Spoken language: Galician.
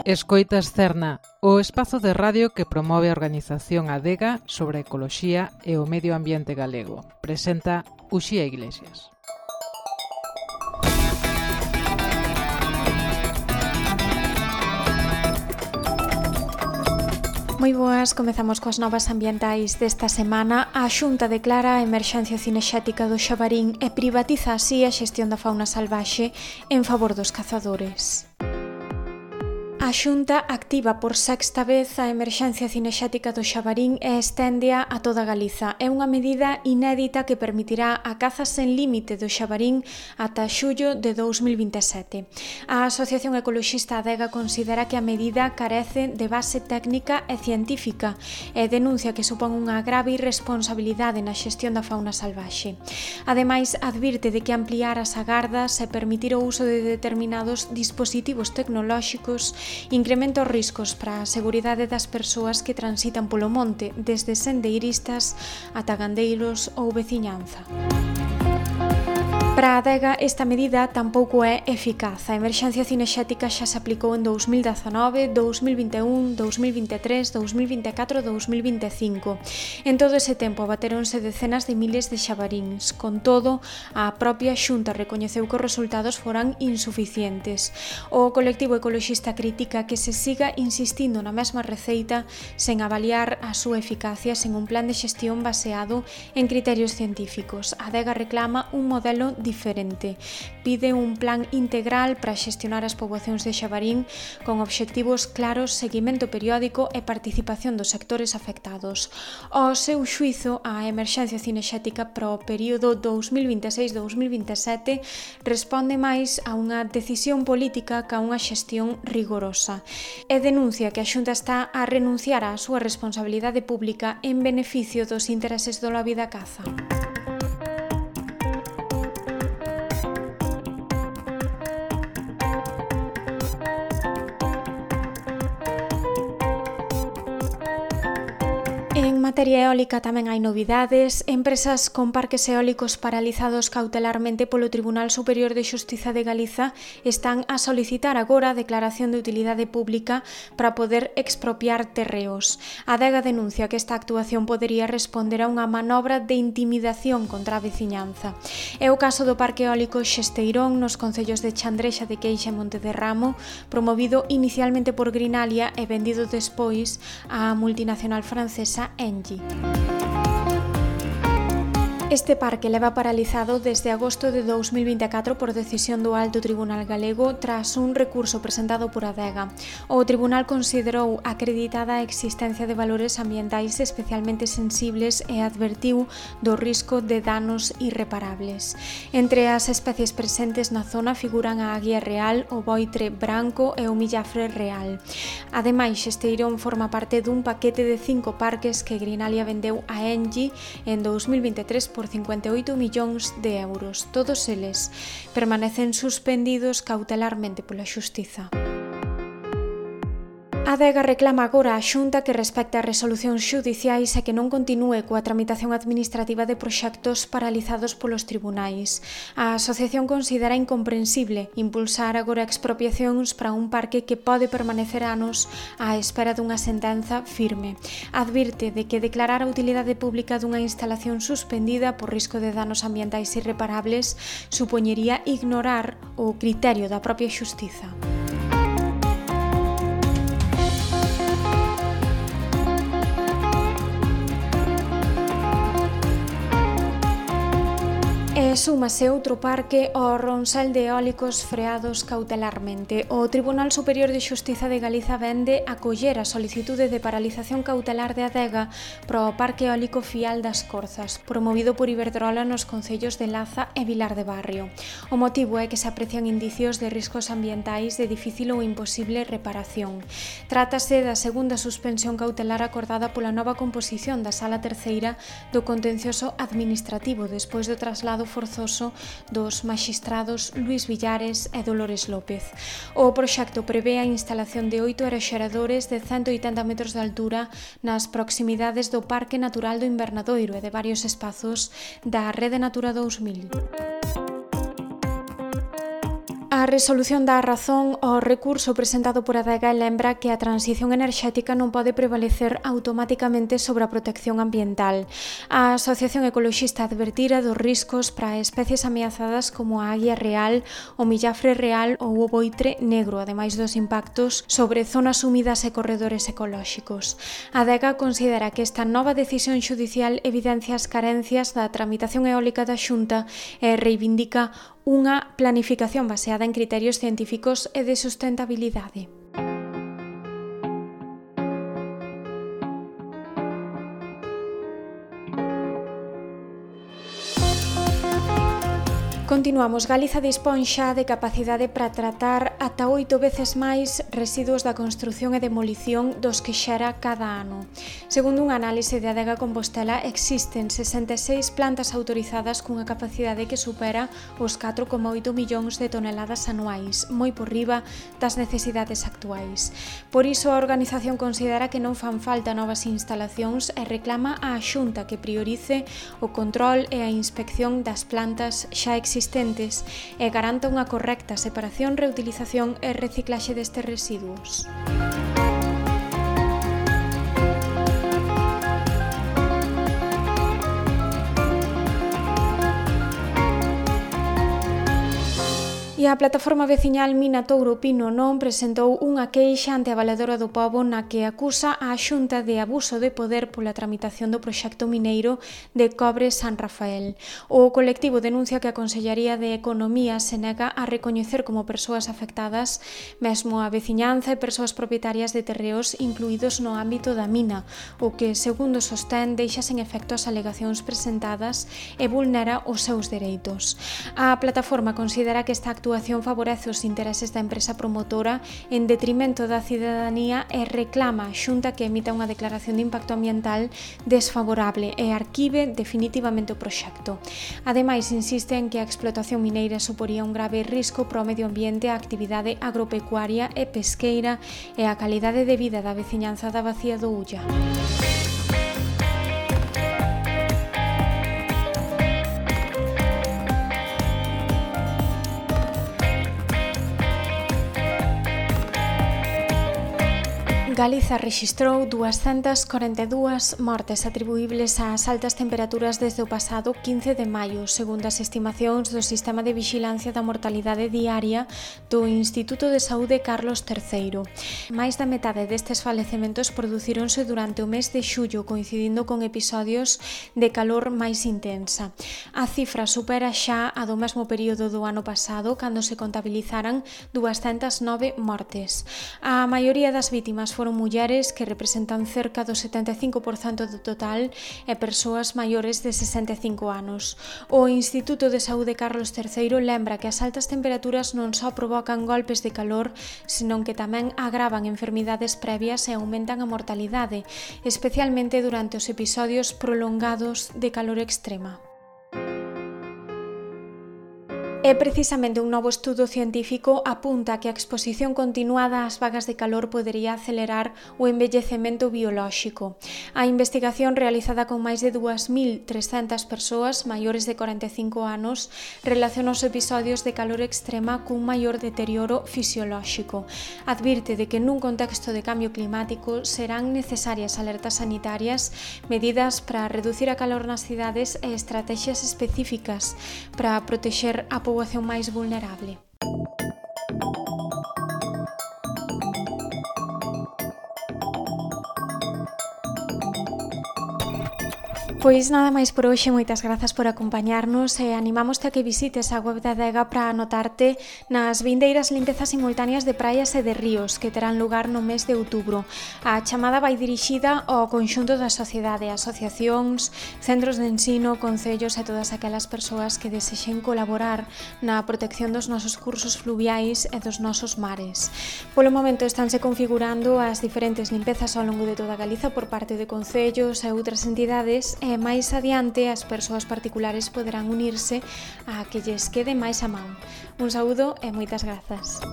Escoitas Cerna, o espazo de radio que promove a organización Adega sobre a ecoloxía e o medio ambiente galego. Presenta Uxía Iglesias. Moi boas, comezamos coas novas ambientais desta semana. A Xunta declara a emerxencia cinexética do Xabarín e privatiza así a xestión da fauna salvaxe en favor dos cazadores. A Xunta activa por sexta vez a emerxencia cinexética do Xabarín e esténdea a toda Galiza. É unha medida inédita que permitirá a caza sen límite do Xabarín ata xullo de 2027. A Asociación Ecoloxista Adega considera que a medida carece de base técnica e científica e denuncia que supón unha grave irresponsabilidade na xestión da fauna salvaxe. Ademais, advirte de que ampliar as agardas e permitir o uso de determinados dispositivos tecnolóxicos incrementa os riscos para a seguridade das persoas que transitan polo monte, desde sendeiristas ata gandeiros ou veciñanza. Para a Adega, esta medida tampouco é eficaz. A emerxencia cinexética xa se aplicou en 2019, 2021, 2023, 2024 e 2025. En todo ese tempo abatéronse decenas de miles de xabaríns. Con todo, a propia Xunta recoñeceu que os resultados foran insuficientes. O colectivo ecoloxista critica que se siga insistindo na mesma receita sen avaliar a súa eficacia sen un plan de xestión baseado en criterios científicos. A Adega reclama un modelo diferente. Pide un plan integral para xestionar as poboacións de xabarín con obxectivos claros, seguimento periódico e participación dos sectores afectados. Ao seu xuízo, a emerxencia cinexética para o período 2026-2027 responde máis a unha decisión política que a unha xestión rigorosa e denuncia que a Xunta está a renunciar á súa responsabilidade pública en beneficio dos intereses do lobby da caza. En materia eólica tamén hai novidades. Empresas con parques eólicos paralizados cautelarmente polo Tribunal Superior de Xustiza de Galiza están a solicitar agora a declaración de utilidade pública para poder expropiar terreos. A Adega denuncia que esta actuación podería responder a unha manobra de intimidación contra a veciñanza. É o caso do parque eólico Xesteirón nos concellos de Chandrexa de Queixa e Monte de Ramo, promovido inicialmente por Greenalia e vendido despois á multinacional francesa Engie. Este parque leva paralizado desde agosto de 2024 por decisión do Alto Tribunal Galego tras un recurso presentado por Adega. O tribunal considerou acreditada a existencia de valores ambientais especialmente sensibles e advertiu do risco de danos irreparables. Entre as especies presentes na zona figuran a aguia real, o boitre branco e o millafre real. Ademais, Xesteirón forma parte dun paquete de 5 parques que Greenalia vendeu a Engie en 2023 por 58 millóns de euros. Todos eles permanecen suspendidos cautelarmente pola Xustiza. A Adega reclama agora a Xunta que respecte as resolucións xudiciais e que non continúe coa tramitación administrativa de proxectos paralizados polos tribunais. A asociación considera incomprensible impulsar agora expropiacións para un parque que pode permanecer anos á espera dunha sentenza firme. Advirte de que declarar a utilidade pública dunha instalación suspendida por risco de danos ambientais irreparables supoñería ignorar o criterio da propia xustiza. Súmase outro parque ao ronsel de eólicos freados cautelarmente. O Tribunal Superior de Xustiza de Galiza vende acoller a solicitude de paralización cautelar de Adega para o Parque Eólico Fial das Corzas, promovido por Iberdrola nos concellos de Laza e Vilar de Barrio. O motivo é que se aprecian indicios de riscos ambientais de difícil ou imposible reparación. Trátase da segunda suspensión cautelar acordada pola nova composición da Sala Terceira do Contencioso Administrativo despois do traslado forzoso dos maxistrados Luís Villares e Dolores López. O proxecto prevé a instalación de 8 aeroxeradores de 180 metros de altura nas proximidades do Parque Natural do Invernadoiro e de varios espazos da Rede Natura 2000. A A resolución dá razón ao recurso presentado por Adega e lembra que a transición enerxética non pode prevalecer automáticamente sobre a protección ambiental. A Asociación Ecoloxista advertira dos riscos para especies ameazadas como a águia real, o millafre real ou o boitre negro, ademais dos impactos sobre zonas húmidas e corredores ecolóxicos. A Adega considera que esta nova decisión xudicial evidencia as carencias da tramitación eólica da Xunta e reivindica unha planificación baseada en criterios científicos e de sustentabilidade. Continuamos. Galiza dispón xa de capacidade para tratar ata 8 veces máis residuos da construción e demolición dos que xera cada ano. Segundo unha análise de Adega Compostela, existen 66 plantas autorizadas cunha capacidade que supera os 4,8 millóns de toneladas anuais, moi por riba das necesidades actuais. Por iso, a organización considera que non fan falta novas instalacións e reclama á Xunta que priorice o control e a inspección das plantas xa existentes e garanta unha correcta separación, reutilización e reciclaxe destes residuos. E a plataforma veciñal Mina Touro Pino Non presentou unha queixa ante a Valedora do Pobo na que acusa a Xunta de abuso de poder pola tramitación do proxecto mineiro de Cobre San Rafael. O colectivo denuncia que a Consellería de Economía se nega a recoñecer como persoas afectadas mesmo a veciñanza e persoas propietarias de terreos incluídos no ámbito da mina, o que, segundo sostén, deixa sen efecto as alegacións presentadas e vulnera os seus dereitos. A plataforma considera que esta actuación favorece os intereses da empresa promotora en detrimento da cidadanía e reclama a Xunta que emita unha declaración de impacto ambiental desfavorable e arquive definitivamente o proxecto. Ademais, insiste en que a explotación mineira suporía un grave risco para o medio ambiente, a actividade agropecuaria e pesqueira e a calidade de vida da veciñanza da Bacía do Ulla. Galiza rexistrou 242 mortes atribuíbles ás altas temperaturas desde o pasado 15 de maio, segundo as estimacións do Sistema de Vixilancia da Mortalidade Diaria do Instituto de Saúde Carlos III. Mais da metade destes falecementos producíronse durante o mes de xullo, coincidindo con episodios de calor máis intensa. A cifra supera xa a do mesmo período do ano pasado, cando se contabilizaran 209 mortes. A maioría das vítimas foron mulleres, que representan cerca do 75% do total, e persoas maiores de 65 anos. O Instituto de Saúde Carlos III lembra que as altas temperaturas non só provocan golpes de calor, senón que tamén agravan enfermidades previas e aumentan a mortalidade, especialmente durante os episodios prolongados de calor extrema. E precisamente un novo estudo científico apunta que a exposición continuada ás vagas de calor podería acelerar o envellecemento biolóxico. A investigación, realizada con máis de 2.300 persoas maiores de 45 anos, relaciona os episodios de calor extrema cun maior deterioro fisiolóxico. Advirte de que nun contexto de cambio climático serán necesarias alertas sanitarias, medidas para reducir a calor nas cidades e estrategias específicas para protexer a poboación máis vulnerable. Pois nada máis por hoxe, moitas grazas por acompañarnos e animámoste a que visites a web da Adega para anotarte nas vindeiras limpezas simultáneas de praias e de ríos que terán lugar no mes de outubro. A chamada vai dirixida ao conxunto da sociedade, asociacións, centros de ensino, concellos e todas aquelas persoas que desexen colaborar na protección dos nosos cursos fluviais e dos nosos mares. Polo momento estanse configurando as diferentes limpezas ao longo de toda Galiza por parte de concellos e outras entidades e máis adiante as persoas particulares poderán unirse a que lles quede máis a man. Un saúdo e moitas grazas.